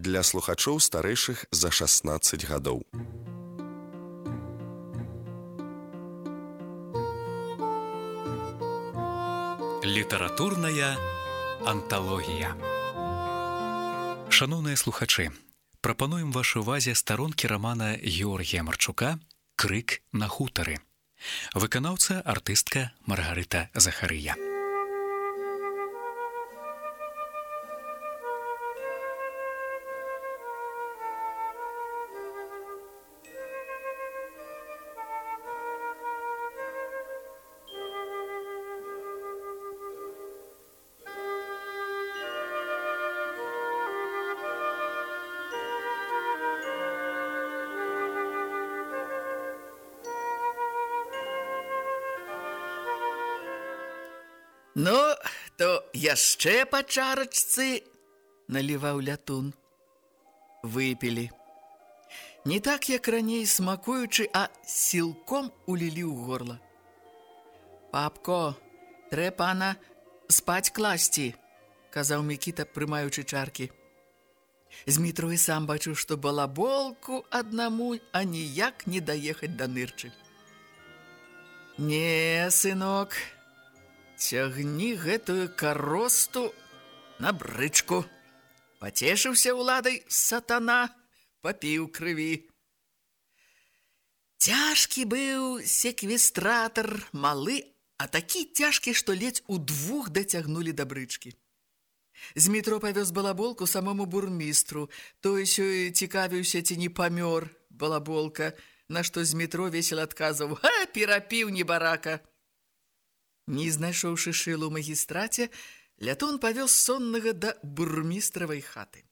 для слухачоў старэйшых за 16 гадоў. Літаратурная анталогія. Шаноўныя слухачы, прапануем вашай увазе старонкі рамана Георгія Марчука «Крык на хутары». Выканаўца артыстка Маргарыта Захарыя. Ну, то яшчэ па чарачцы, наліваў Лятун. Выпілі. Не так, як раней смакуючы, а сілком улілі ў горла. «Папко, трэ пана спаць класці», – казаў Мікіта, прымаючы чаркі. Змітрой сам бачыў, што балаболку аднаму аніяк не даехаць да нырчы. «Не, сынок, цягні гэтую каросту на брычку. Пацешыўся ўладай сатана, папіў крыві». Цяжкі быў секвестратар, малы, а такі цяжкі, што ледзь удвух дацягнулі да брычкі. Змітро павёз балаболку самому бурмістру. Той сёй цікавіўся, ці не памёр балаболка, на што Змітро весела адказваў: «Ха, перапіў небарака». Не знайшоўшы шылу ў магістраце, Лятун павёз соннага да бурмістравай хаты.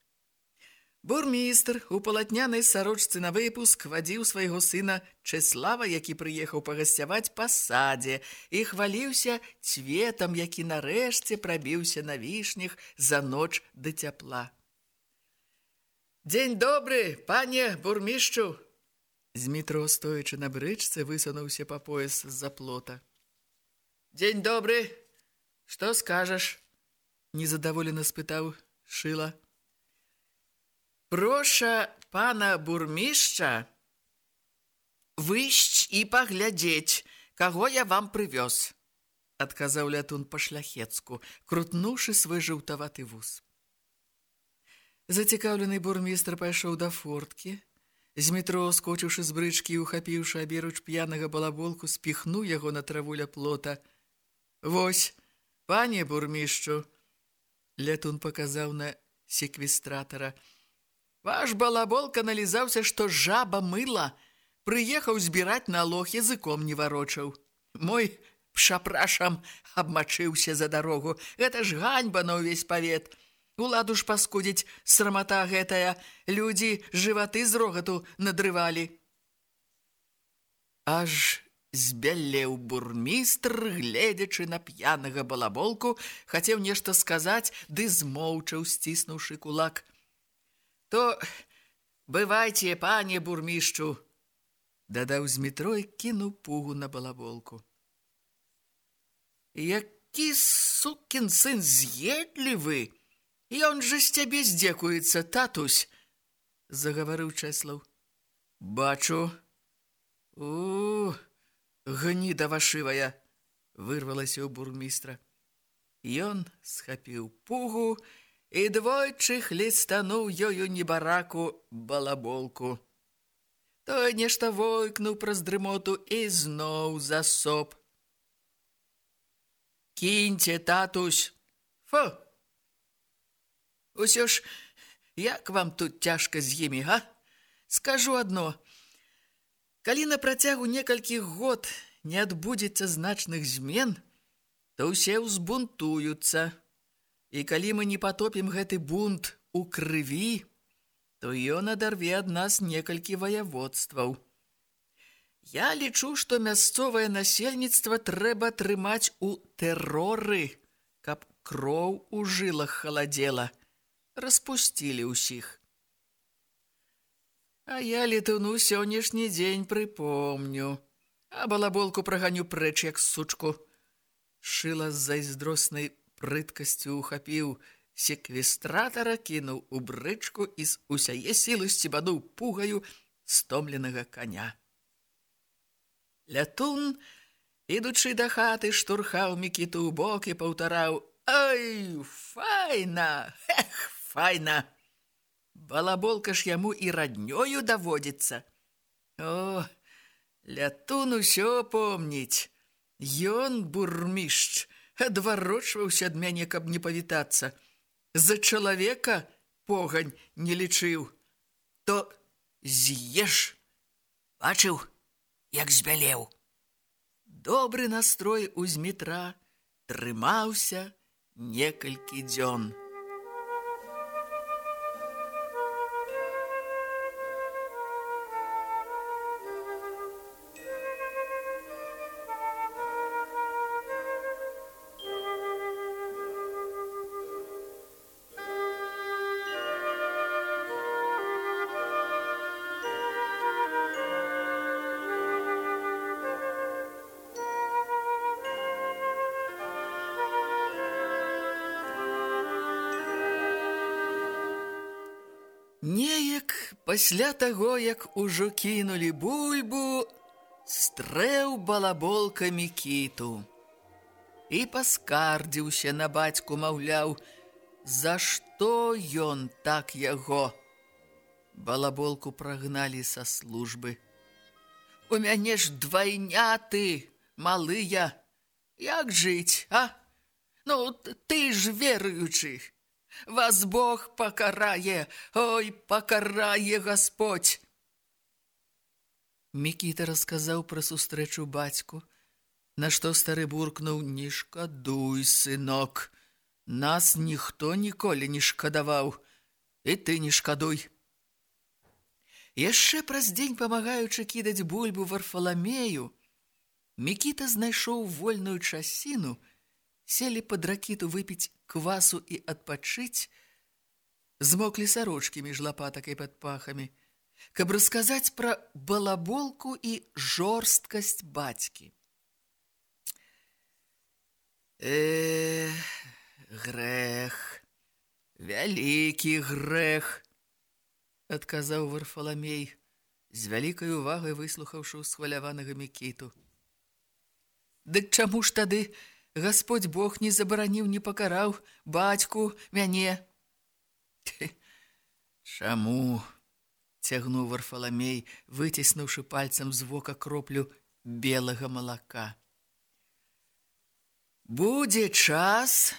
Бурмістр у палатнянай сарочцы на выпуск вадзіў свайго сына Чэслава, які прыехаў пагасцяваць па садзе, і хваліўся цветам, які нарэшце прабіўся на вішнях за ноч да цяпла. «Дзень добры, пане бурмішчу!» Змітро, стоячы на брычцы, высунуўся па пояс з-за плота. «Дзень добры, што скажаш?» – незадаволена спытаў Шыла. «Проша пана бурмішча выйсць і паглядзець, каго я вам прывёз», – адказаў Лятун па-шляхецку, крутнуўшы свой жаўтаваты вус. Зацікаўлены бурмістр пайшоў да форткі. Змітро, скочыўшы з брычкі і ухапіўшы аберуч п'янага балаболку, спіхнуў яго на траву ля плота. «Вось, пане бурмішчу», – Лятун паказаў на секвестратара, «ваш балаболка налізаўся, што жаба мыла, прыехаў збіраць налог, языком не варочаў. Мой пшапрашам абмачыўся за дарогу. Гэта ж ганьба на ўвесь павет. Уладу ж паскудзіць, срамата гэтая, людзі жываты з рогату надрывалі». Аж збялеў бурмістр, гледзячы на п'янага балаболку, хацеў нешта сказаць, ды змоўчаў, сціснуўшы кулак. «То бывайце, пане бурмішчу», – дадаў Змітро і кінуў пугу на балаболку. «Які сукін сын з'едлівы! Ён жа з цябе здзекуецца, татусь», – загаварыў Чэслаў. «Бачу. Гніда вашывая», – вырвалася ў бурмістра. Ён схапіў пугу і двойчы хлестануў ёю небараку балаболку. Той нешта войкнуў праз дрымоту і зноў засоп. «Кіньце, татусь! Фу! Усё ж, як вам тут цяжка з імі, га? Скажу адно. Калі на працягу некалькіх год не адбудзецца значных змен, то ўсе ўзбунтуюцца. І калі мы не патопім гэты бунт у крыві, то ён адарве ад нас некалькі ваяводстваў. Я лічу, што мясцовае насельніцтва трэба трымаць у тэроры, каб кроў у жылах халадзела. Распусцілі ўсіх. А я Летуну сённяшні дзень прыпомню, а балаболку праганю прэч, як сучку». Шыла з зайздроснай прыткасцю ухапіў секвестратара кінуў у брычку і з усяе сілы сцібануў пугаю стомленага коня. Лятун, ідучы да хаты, штурхаў Мікіту ў бок і паўтараў: «Ай, файна! Эх, файна! Балаболка ж яму і раднёю даводзіцца. О, Лятун усё помніць. Ён, бурмішч, адварочваўся ад мяне, каб не павітацца. За чалавека погань не лічыў. То з'еш. Бачыў, як збялеў». Добры настрой у Змітра трымаўся некалькі дзён. Неяк пасля таго, як ужо кінулі бульбу, стрэў балаболка Мікіту і паскардзіўся на бацьку, маўляў, за што ён так яго. Балаболку прагналі са службы. «У мяне ж двайняты, малыя, як жыць, а? Ну, ты ж веруючы. Вас Бог пакарае, ой, пакарае Гасподь». Мікіта расказаў пра сустрэчу бацьку, на што стары буркнуў: «Не шкадуй, сынок, нас ніхто ніколі не шкадаваў, і ты не шкадуй». Яшчэ праз дзень, памагаючы кідаць бульбу Варфаламею, Мікіта знайшоў вольную часіну, селі пад ракіту выпіць квасу і адпачыць, змоклі сарочкі між лапатак і пад пахамі, каб расказаць пра балаболку і жорсткасць бацькі. Грэх, вялікі грэх, адказаў Варфаламей, з вялікай увагай выслухаўшы ўсхваляванага Мікіту. «Дык чаму ж тады Гасподь Бог не забараніў, не пакараў бацьку, мяне?» «Чаму?» – цягнуў Варфаламей, выціснуўшы пальцам з вока кроплю белага малака. «Будзе час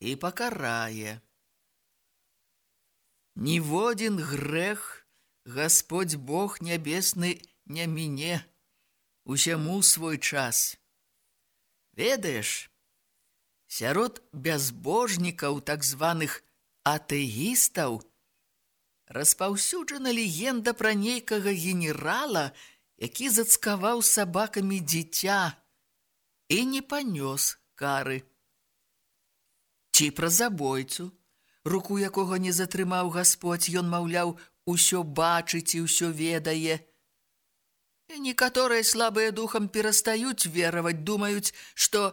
і пакарае. Ніводзін грэх Гасподь Бог нябесны не міне, усяму свой час. Ведаеш, сярод бязбожнікаў, так званых атэістаў, распаўсюджана легенда пра нейкага генерала, які зацкаваў сабакамі дзіця і не панёс кары. Ці пра забойцу, руку якога не затрымаў Гасподь, ён, маўляў, усё бачыць і ўсё ведае. І некаторыя слабыя духам перастаюць вераваць, думаюць, што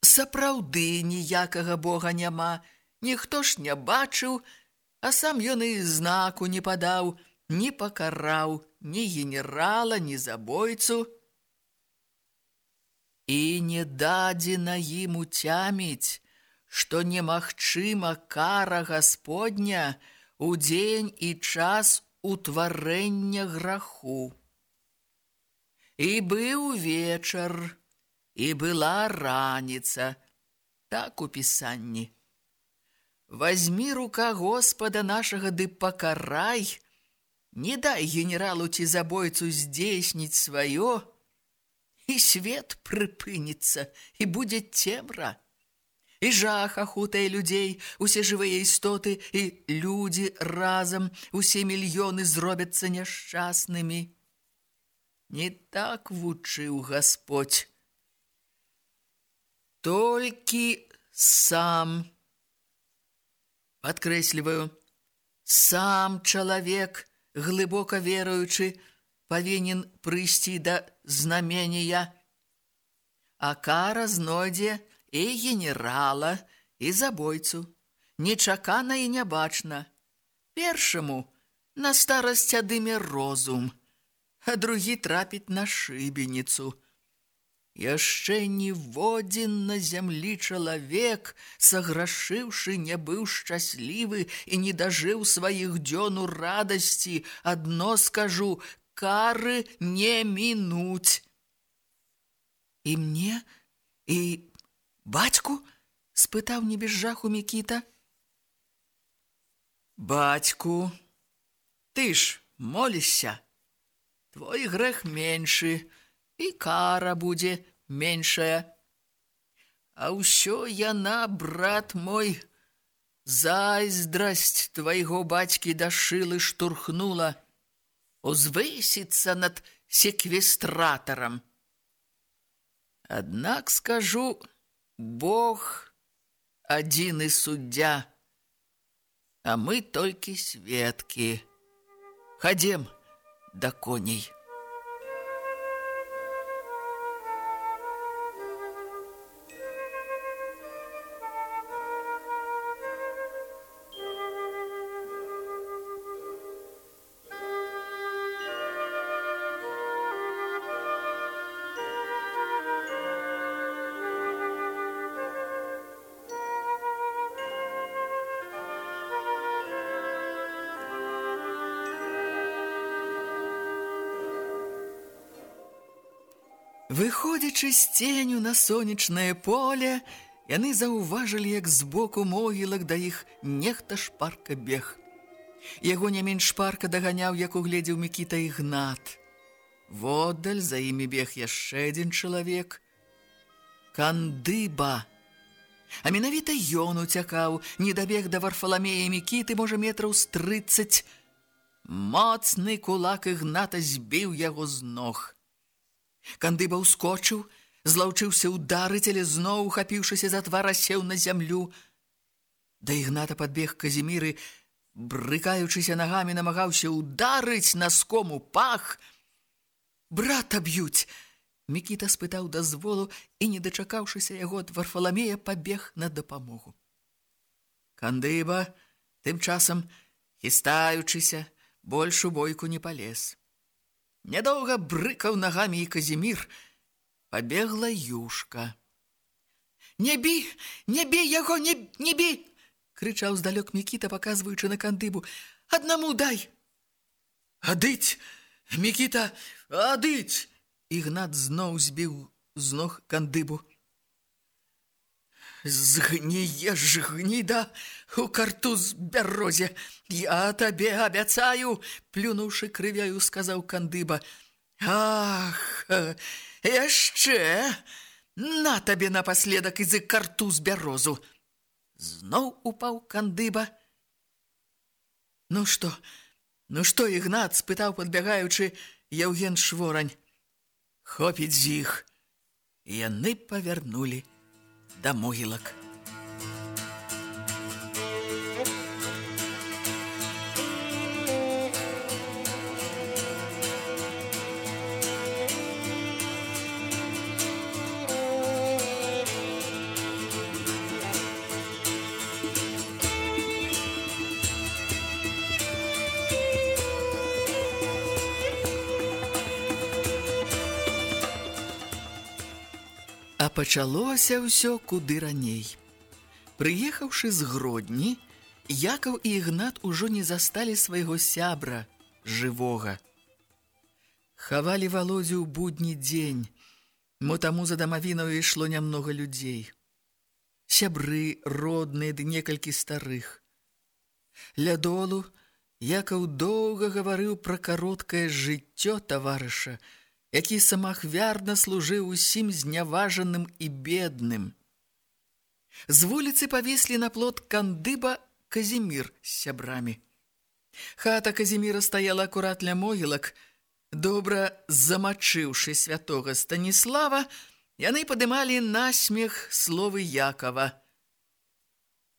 сапраўды ніякага Бога няма, ніхто ж не бачыў, а сам ён і знаку не падаў, не пакараў ні генерала, ні забойцу. І не дадзена ім уцяміць, што немагчыма кара Гасподня у дзень і час утварэння граху. І быў вечар, і была раніца, так у пісанні. Вазьмі рука Господа нашага ды пакарай, не дай генералу ці забойцу здзейсніць сваё, і свет прыпыніцца, і будзе цемра. І жах ахутае людзей, усе жывыя істоты, і людзі разам, усе мільёны зробяцца няшчаснымі. Не так вучыў Гасподь. Толькі сам, падкрэсліваю, сам чалавек, глыбока веруючы, павінен прыйсці да знамения, а кара знойдзе і генерала, і забойцу. нечакана і нябачна. Першаму на старасць адыме розум, а другі трапіць на шыбеніцу. Яшчэ ніводзін на зямлі чалавек, саграшыўшы, не быў шчаслівы і не дажыў сваіх дзён у радасці, адно скажу, кары не мінуць. І мне? І бацьку? Спытаў не без жаху Мікіта. Бацьку, ты ж молішся, твой грэх меншы, і кара будзе меншая. А ўсё яна, брат мой, зайздрасць твайго бацькі да шылы штурхнула, узвысіцца над секвестратарам. Аднак скажу, Бог адзіны суддзя, а мы толькі сведкі. Хадзем да коней. Выходзячы з ценю на сонечнае поле, яны заўважылі, як збоку могілак да іх нехта шпарка бег. Яго не менш шпарка даганяў, як угледзеў Мікіта Ігнат. Воддаль за імі бег яшчэ адзін чалавек. Кандыба. А менавіта ён уцякаў, не дабег да Варфаламея Мікіты, можа, метраў з 30. Моцны кулак Ігната збіў яго з ног. Кандыба ўскочыў, злаўчыўся ўдарыць, але зноў, ухапіўшыся за твар, сеў на зямлю. Да Ігната падбег Казімір і, брыкаючыся нагамі, намагаўся ўдарыць наском у пах. Брата б'юць! Мікіта спытаў дазволу і, не дачакаўшыся яго ад Варфаламея, пабег на дапамогу. Кандыба, тым часам, хістаючыся, больш у бойку не палез. Нядоўга брыкаў нагамі і Казімір. Пабегла Юшка. «Не бі! Не бі яго! Не бі!» крычаў здалёк Мікіта, паказваючы на Кандыбу. «Аднаму дай!» «Адыць! Мікіта, адыць!» Ігнат зноў збіў з ног Кандыбу. «Згніеш, гніда, у картуз бярозе! Я табе абяцаю!» плюнуўшы крывяю, сказаў Кандыба. «Ах, яшчэ! На табе напаследак і за картуз бярозу!» Зноў упаў Кандыба. «Ну што, Ігнат?» спытаў, падбягаючы, Яўген Шворань. «Хопіць з іх!» Яны павярнулі да могілак. А пачалося ўсё куды раней. Прыехаўшы з Гродні, Якаў і Ігнат ужо не засталі свайго сябра, жывога. Хавалі Валодзю ў будні дзень, мо таму за дамавінаю ішло нямнога людзей. Сябры, родныя ды некалькі старых. Ля долу Якаў доўга гаварыў пра кароткае жыццё таварыша, які самахвярна служыў усім зняважаным і бедным. З вуліцы павеслі на плот Кандыба, Казімір з сябрамі. Хата Казіміра стаяла акурат ля могілак. Добра замачыўшы святога Станіслава, яны падымалі насмех словы Якава.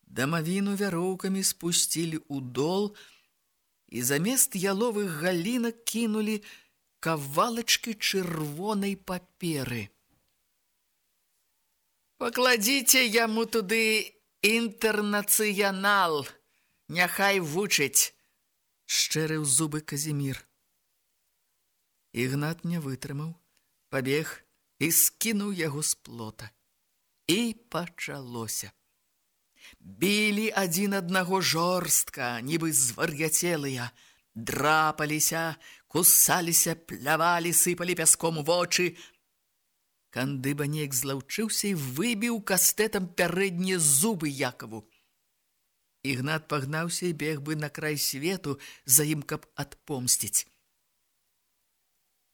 Дамавіну вяроўкамі спусцілі ў дол і замест яловых галінак кінулі кавалачкі чырвонай паперы. «Пакладзіце яму туды інтэрнацыянал, няхай вучыць, шчэрыў зубы Казімір. Ігнат не вытрымаў, пабег і скінуў яго з плота. І пачалося. Білі адзін аднаго жорстка, нібы звар'яцелыя, драпаліся, кусаліся, плявалі, сыпалі пяском у вочы. Кандыба неяк злаўчыўся і выбіў кастэтам пярэднія зубы Якаву. Ігнат пагнаўся і бег бы на край свету за ім, каб адпомсціць.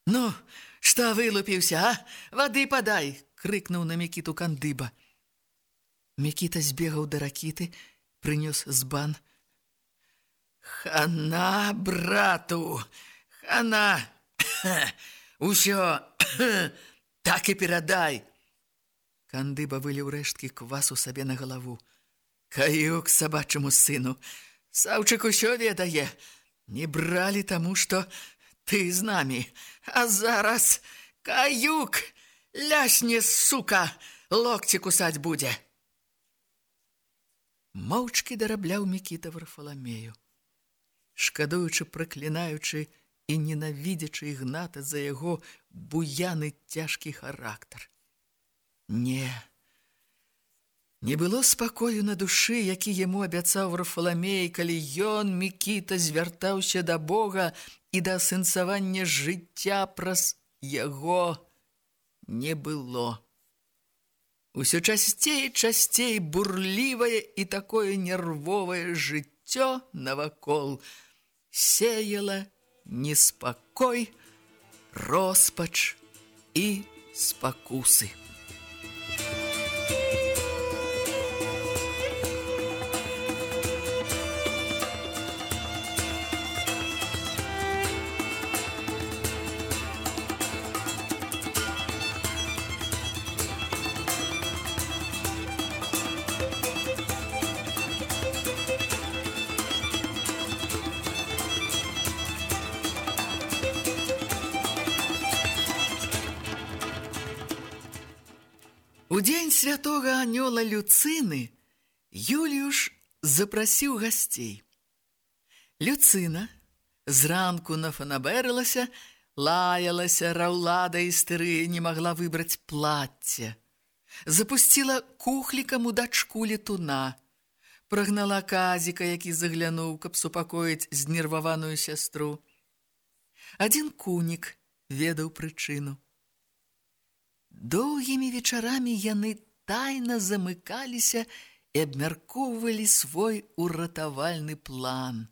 «Ну, што вылупіўся, а? Вады падай!» — крыкнуў на Мікіту Кандыба. Мікіта збегаў да ракіты, прынёс збан. «Хана, брату, хана! Усё так і перадай!» Кандыба выліў рэшткі квасу сабе на галаву. «Каюк сабачаму сыну, Саўчык усё ведае. Не бралі таму, што ты з намі. А зараз каюк лясне, сука, локці кусаць будзе!» Моўчкі дарабляў Мікіта Варфаламею, шкадуючы, праклінаючы і ненавідзячы Ігната за яго буяны цяжкі характар. Не было спакою на душы, які яму абяцаў Варфаламей, калі ён, Мікіта, звяртаўся да Бога і да асэнсавання жыцця праз яго не было. Усё часцей і часцей бурлівае і такое нервовае жыццё навакол сеяла неспакой, роспач і спакусы. У дзень святога анёла Люцыны Юліюш запрасіў гасцей. Люцына зранку нафанабэрылася, лаялася, раўла да істэрыі, не магла выбраць плацце. Запусціла кухлікам у дачку летуна, прагнала Казіка, які заглянуў, каб супакоіць знерваваную сястру. Адзін кунік ведаў прычыну. Доўгімі вечарамі яны тайна замыкаліся і абмяркоўвалі свой уратавальны план.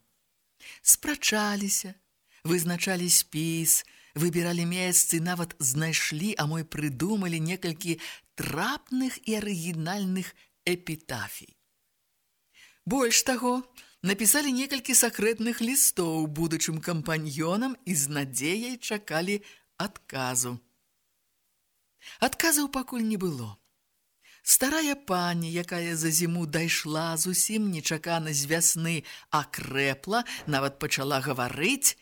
Спрачаліся, вызначалі спіс, выбіралі месцы, нават знайшлі, а мо і прыдумалі некалькі трапных і арыгінальных эпітафій. Больш таго, напісалі некалькі сакрэтных лістоў будучым кампаньёнам і з надзеяй чакалі адказу. Адказаў пакуль не было. Старая пані, якая за зіму дайшла зусім нечакана з вясны, акрэпла, нават пачала гаварыць.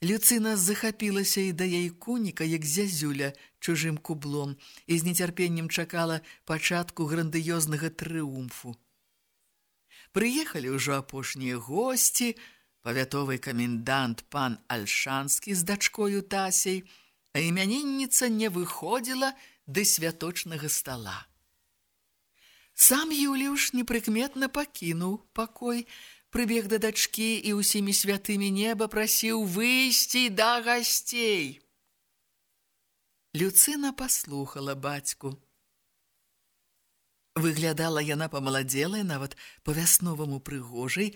Люцына захапілася і да яе куніка, як зязюля, чужым кублом, і з нецярпеннем чакала пачатку грандыёзнага трыумфу. Прыехалі ўжо апошнія госці, павятовы камендант пан Альшанскі з дачкою Тасей, а імянінніца не выходзіла да святочнага стала. Сам Юліюш непрыкметна пакінуў пакой, прыбег да дачкі і ўсімі святымі неба прасіў выйсці да гасцей. Люцына паслухала бацьку. Выглядала яна памаладзелая, нават па-вясноваму прыгожай.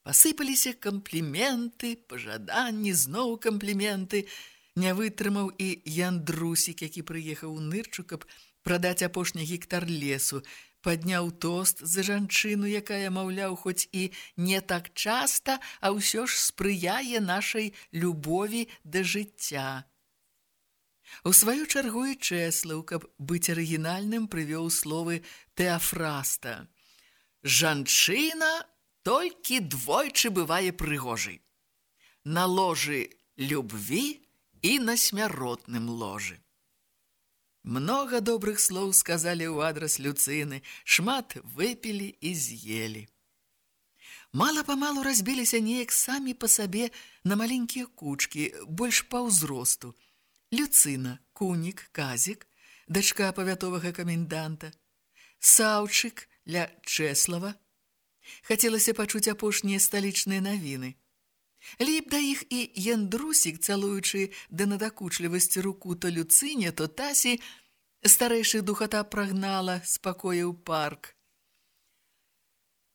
Пасыпаліся кампліменты, пажаданні, зноў кампліменты. Не вытрымаў і Яндрусік, які прыехаў у нырчу, каб прадаць апошні гектар лесу, падняў тост за жанчыну, якая, маўляў, хоць і не так часта, а ўсё ж спрыяе нашай любові да жыцця. У сваю чаргу і Чэслаў, каб быць арыгінальным, прывёў словы Тэафраста. Жанчына толькі двойчы бывае прыгожай. На ложы любві і на смяротным ложы. Многа добрых слоў сказалі ў адрас Люцыны, шмат выпілі і з'елі. Мала-памалу разбіліся неяк самі па сабе на маленькія кучкі, больш па ўзросту. Люцына, Кунік, Казік, дачка павятовага каменданта, Саўчык ля Чэслава. Хацелася пачуць апошнія сталічныя навіны. Ліп да іх і Яндрусік, цалуючы да надакучлівасці руку то Люцыне, то Тасі, старэйшых духата прагнала з пакоя ў парк.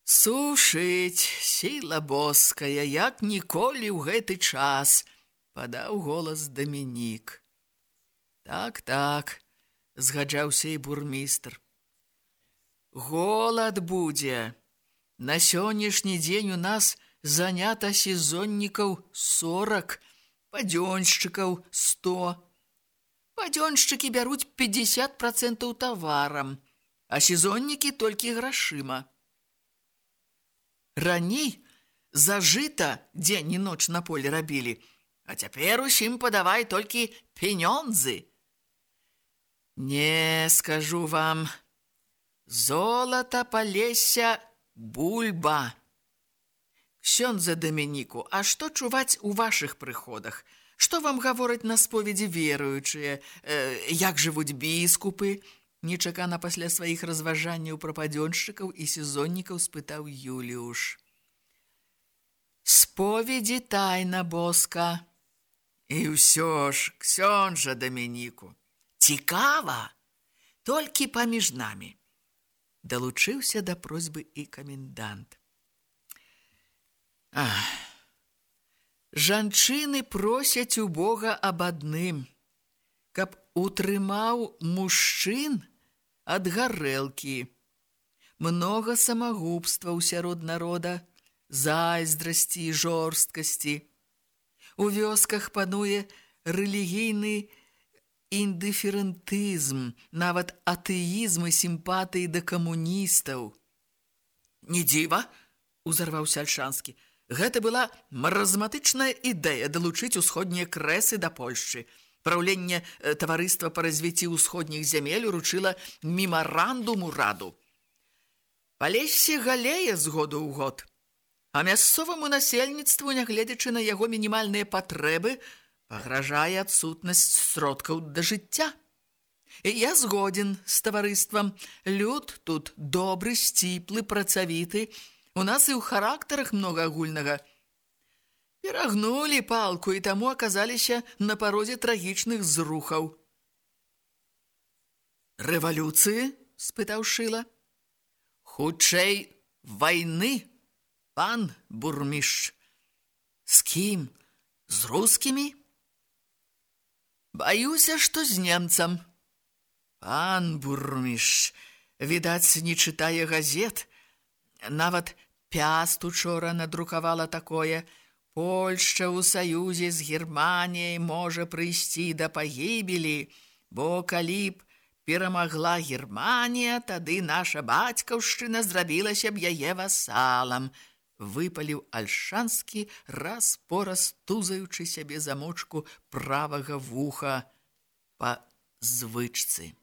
«Сушыць, сіла боская, як ніколі ў гэты час», – падаў голас Дамінік. «Так», – згаджаўся і бурмістр. «Голад будзе. На сённяшні дзень у нас занята сезоннікаў 40, падзёншчыкаў 100. Падзёншчыкі бяруць 50% таварам, а сезоннікі толькі грашыма. Раней за жыта дзень і ноч на поле рабілі, а цяпер усім падавай толькі пенёнзы. Не, скажу вам, золата, Палеся, бульба. Ксёндзе Дамініку, а што чуваць у вашых прыходах? Што вам гавораць на споведзі веруючыя? Як жывуць біскупы?» Нечакана пасля сваіх разважанняў пра падзёншчыкаў і сезоннікаў спытаў Юліуш. «Споведзі тайна боска». «І ўсё ж, ксёндза Дамініку, цікава, толькі паміж намі». Далучыўся да просьбы і камендант. Жанчыны просяць у Бога аб адным, каб утрымаў мужчын ад гарэлкі. Многа самагубстваў сярод народа, зайздрасці і жорсткасці. У вёсках пануе рэлігійны індыферэнтызм, нават атэізм і сімпатыі да камуністаў. «Не дзіва», – узарваўся Альшанскі, – гэта была маразматычная ідэя далучыць усходнія крэсы да Польшчы. Праўленне таварыства па развіцці ўсходніх зямель уручыла мемарандум ураду. Палесе галее з году ў год, а мясцоваму насельніцтву, нягледзячы на яго мінімальныя патрэбы, пагражае адсутнасць сродкаў да жыцця. Я згоден з таварыствам. Люд тут добры, сціплы, працавіты. У нас і ў характарах многа агульнага. Перагнулі палку і таму аказаліся на парозе трагічных зрухаў». «Рэвалюцыі?» – спытаў Шыла. «Хутчэй вайны, пан бурмішч». «З кім? З рускімі?» «Баюся, што з немцам». «Пан бурмішч, відаць, не чытае газет. Нават Пяст учора надрукавала такое: Польшча ў саюзе з Германіяй можа прыйсці да пагібелі, бо калі б перамагла Германія, тады наша бацькаўшчына зрабілася б яе васалам. Выпаліў Альшанскі, раз-пораз тузаючы сябе замочку правага вуха па звычцы.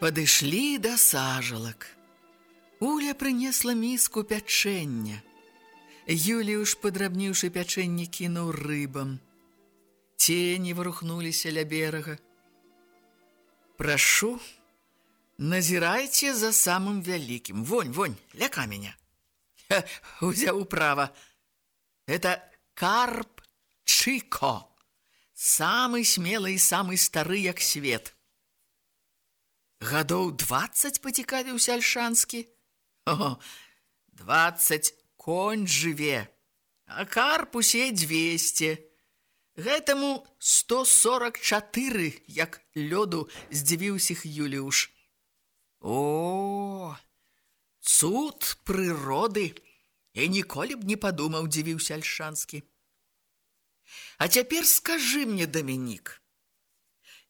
Падышлі да сажалак. Уля прынесла міску пячэння. Юліуш, падрабніўшы пячэнне, кінуў рыбам. Цені варухнуліся ля берага. «Прашу, назірайце за самым вялікім. Вонь, ля каменя». Узяў управа. Это карп Чыко. Самы смелы і самы стары, як свет. Гадоў 20 пацікавіўся Альшанскі. 20 конь жыве, а карп усе 200. Гэтаму 144, як лёду, здзівіўся Юліуш. О, цуд прыроды, І ніколі б не падумаў, дзівіўся Альшанскі. А цяпер скажы мне, Дамінік,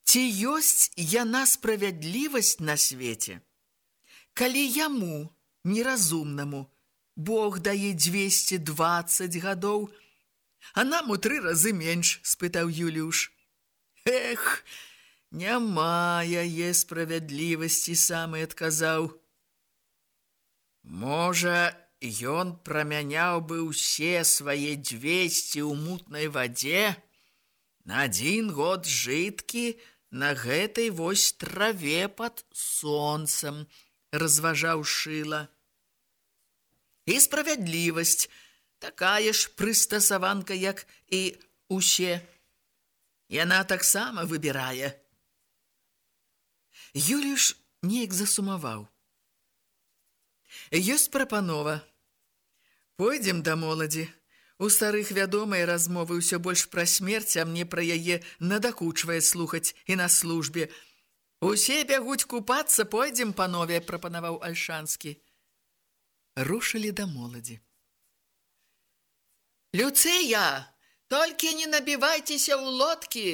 ці ёсць яна справядлівасць на свеце, калі яму, неразумнаму, Бог дае 220 гадоў, а нам у 3 разы менш, спытаў Юліуш. Эх, няма яе справядлівасці, сам і адказаў. Можа, ён прамяняў бы ўсе свае 200 ў мутнай вадзе на 1 год жыткі на гэтай вось траве пад сонцам, разважаў Шыла. І справядлівасць такая ж прыстасаванка, як і усе. Яна таксама выбірае. Юліш неяк засумаваў. Ёсць прапанова. Пойдзем да моладзі. У старых вядомыя размовы ўсё больш пра смерць, а мне пра яе надакучвае слухаць і на службе. Усе бягуць купацца, пойдзем, панове, прапанаваў Альшанскі. Рушылі да моладзі. Люцыя, толькі не набівайцеся ў лодкі,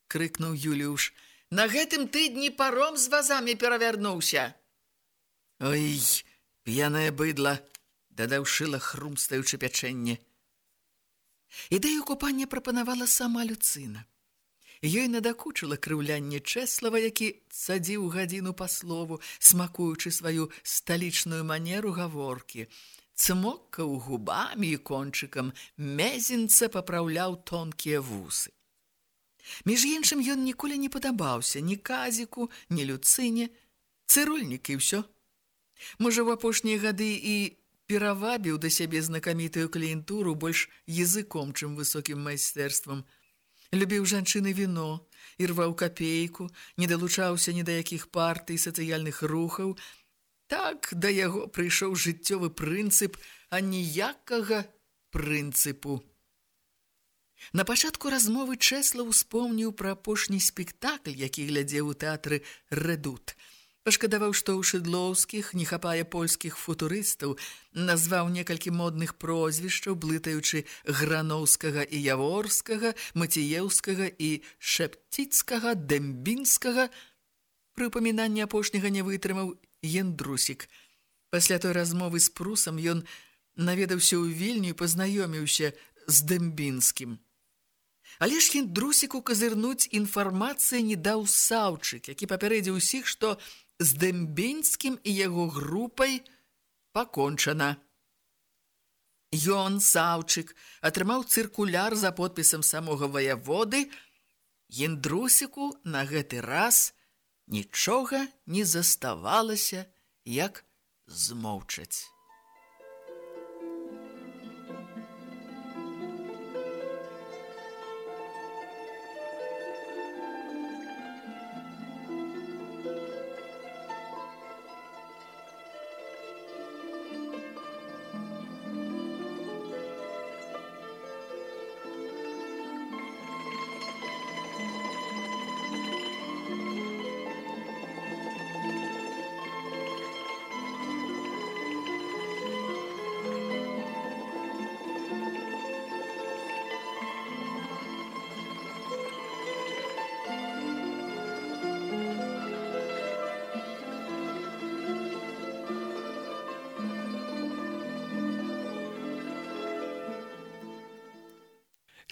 крыкнуў Юліуш. На гэтым тыдні паром з вазамі перавярнуўся. Ой, п'янае быдла, дадаў Шыла, хрумстаючы пячэнне. Ідэю купання прапанавала сама Люцына. Ёй надакучыла крыўлянне Чэслава, які цадзіў гадзіну па слову, смакуючы сваю сталічную манеру гаворкі. Цмоккаў губамі і кончыкам мезенца папраўляў тонкія вусы. Між іншым, ён ніколі не падабаўся ні Казіку, ні Люцыне, цырульнік і ўсё. Можа, ў апошнія гады і перавабіў да сябе знакамітую кліентуру больш языком, чым высокім майстэрствам. Любіў жанчыны віно, ірваў капейку, не далучаўся ні да якіх партый, сацыяльных рухаў. Так да яго прыйшоў жыццёвы прынцып, а ніякага прынцыпу. На пачатку размовы Чэслаў успомніў пра апошні спектакль, які глядзеў у тэатры «Рэдут». Пашкадаваў, што ў Шыдлоўскіх не хапае польскіх футурыстаў, назваў некалькі модных прозвішчаў, блытаючы Граноўскага і Яворскага, Маціеўскага і Шэпціцкага, Дэмбінскага. Пры упамінанні апошняга не вытрымаў Яндрусік. Пасля той размовы з Прусам ён наведаўся ў Вільню і пазнаёміўся з Дэмбінскім. Але ж Яндрусіку казырнуць інфармацыі не даў Саўчык, які папярэдзіў усіх, што з Дэмбінскім і яго групай пакончана. Ён, Саўчык, атрымаў цыркуляр за подпісам самога ваяводы. Яндрусіку на гэты раз нічога не заставалася, як змоўчаць.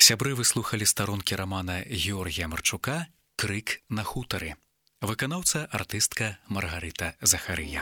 Сябры, вы слухалі старонкі рамана Георгія Марчука «Крык на хутары». Выканаўца артыстка Маргарыта Захарыя.